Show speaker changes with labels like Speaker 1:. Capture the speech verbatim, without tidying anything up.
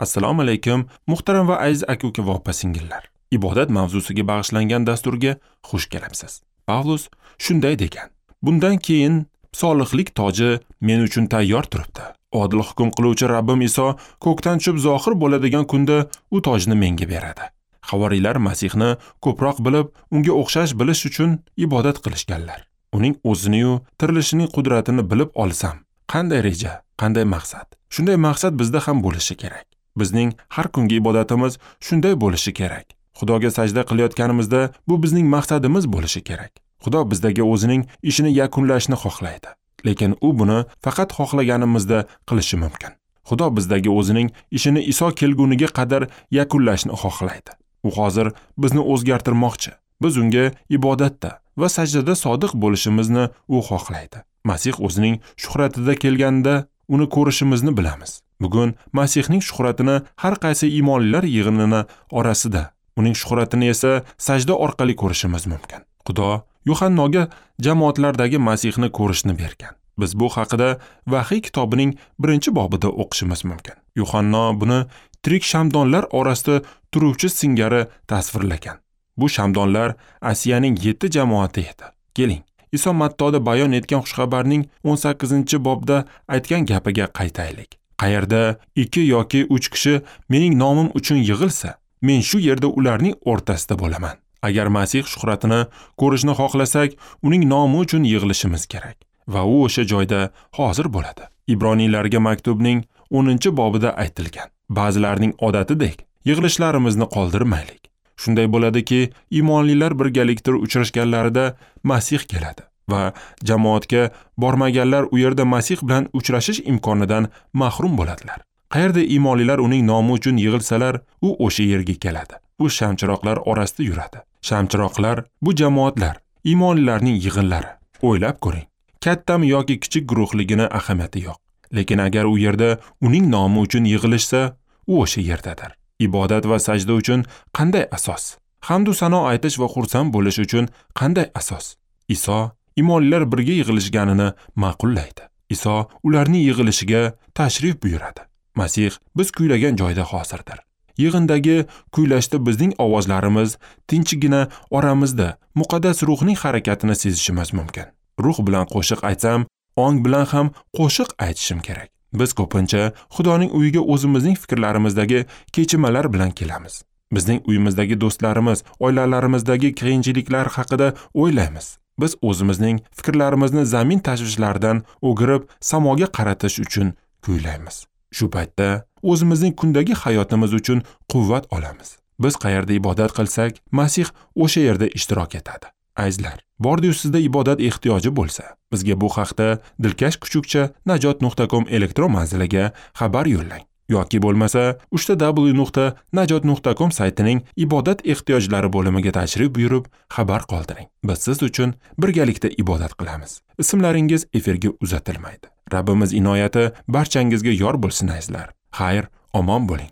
Speaker 1: Assalomu alaykum, muhtaram va aziz aka-uka va opa-singillar. Ibodat mavzusiga bag'ishlangan dasturga xush kelibsiz. Pavlus shunday degan: Bundan keyin solihlik toji men uchun tayyor turibdi. Odil hukm qiluvchi Rabbim Iso ko'kdan tushib zohir bo'ladigan kunda u tojni menga beradi. Havoriylar Masihni ko'proq bilib, unga o'xshash bilish uchun ibodat qilishganlar. Uning o'zini-yu tirilishining qudratini bilib olsam, qanday reja, qanday maqsad? Shunday maqsad bizda ham bo'lishi kerak. Bizning har kungi ibodatimiz shunday bo'lishi kerak. Xudoga sajda qilayotganimizda bu bizning maqsadimiz bo'lishi kerak. Xudo bizdagi o'zining ishini yakunlashni xohlaydi. Lekin u buni faqat xohlaganimizda qilishi mumkin. Xudo bizdagi o'zining ishini Iso kelguniga qadar yakunlashni xohlaydi. U hozir bizni o'zgartirmoqchi. Biz unga ibodatda va sajdada sodiq bo'lishimizni u xohlaydi. Masih o'zining shuhratida kelganda uni ko'rishimizni bilamiz. Bugun Masihning shuhratini har qaysi iymonlilar yig'inini orasida, uning shuhratini esa sajda orqali ko'rishimiz mumkin. Xudo Yuhannoga jamoatlardagi Masihni ko'rishni bergan. Biz bu haqida Vahiy kitobining birinchi bobida o'qishimiz mumkin. Yuhanno buni tirik shamdonlar orasida turuvchi singari tasvirlagan. Bu shamdonlar Asiyaning yetti jamoati edi. Keling, Iso Mattoda bayon etgan xushxabarning o'n sakkizinchi bobda aytgan gapiga qaytaylik. Qayerda ikki yoki uch kishi mening nomim uchun yig'ilsa, men shu yerda ularning o'rtasida bo'laman. Agar Masih shuhratini ko'rishni xohlasak, uning nomi uchun yig'ilishimiz kerak va u o'sha joyda hozir bo'ladi. Ibroniylarga maktubning o'ninchi bobida aytilgan. Ba'zilarning odatidek yig'ilishlarimizni qoldirmaylik. Shunday bo'ladiki, iymonlilar birgalikda uchrashganlarida Masih keladi va jamoatga bormaganlar u yerda Masih bilan uchrashish imkonidan mahrum bo'ladilar. Qayerda iymonlilar uning nomi uchun yig'ilsalar, u o'sha yerga keladi. U shamchiroqlar orasida yuradi. Shamchiroqlar bu jamoatlar, iymonlilarning yig'inlari. O'ylab ko'ring. Kattami yoki kichik guruhligini ahamiyati yo'q. Lekin agar u yerda uning nomi uchun yig'ilishsa, u o'sha yerdadir. Ibodat va sajda uchun qanday asos? Hamd u sano aytish va xursand bo'lish uchun qanday asos? Iso iymonlilar birga yig'ilishganini ma'qullaydi. Iso ularning yig'ilishiga tashrif buyuradi. Masih biz kuylagan joyda hozirdir. Yig'indagi kuylashda bizning ovozlarimiz tinchigina oramizda muqaddas ruhning harakatini sezishimiz mumkin. Ruh bilan qo'shiq aytsam, ong bilan ham qo'shiq aytishim kerak. Biz ko'pincha Xudoning uyiga o'zimizning fikrlarimizdagi kechinmalar bilan kelamiz. Bizning uyimizdagi do'stlarimiz, oilalarimizdagi qiyinchiliklar haqida o'ylaymiz. Biz o'zimizning fikrlarimizni zamin tashvishlaridan o'girib, samoga qaratish uchun kuylaymiz. Shu paytda o'zimizning kundagi hayotimiz uchun quvvat olamiz. Biz qayerda ibodat qilsak, Masih o'sha yerda ishtirok etadi. Azizlar, bordi-yu sizda ibodat ehtiyoji bo'lsa, bizga bu haqda dilkash kuchukcha najot nuqta com elektron manziliga xabar yo'llang yoki bo'lmasa uch ta w nuqta najot nuqta com saytining ibodat ehtiyojlari bo'limiga tashrif buyurib xabar qoldiring. Biz siz uchun birgalikda ibodat qilamiz. Ismlaringiz efirga uzatilmaydi. Rabbimiz inoyati barchangizga yor bo'lsin azizlar. Xayr, omon bo'ling.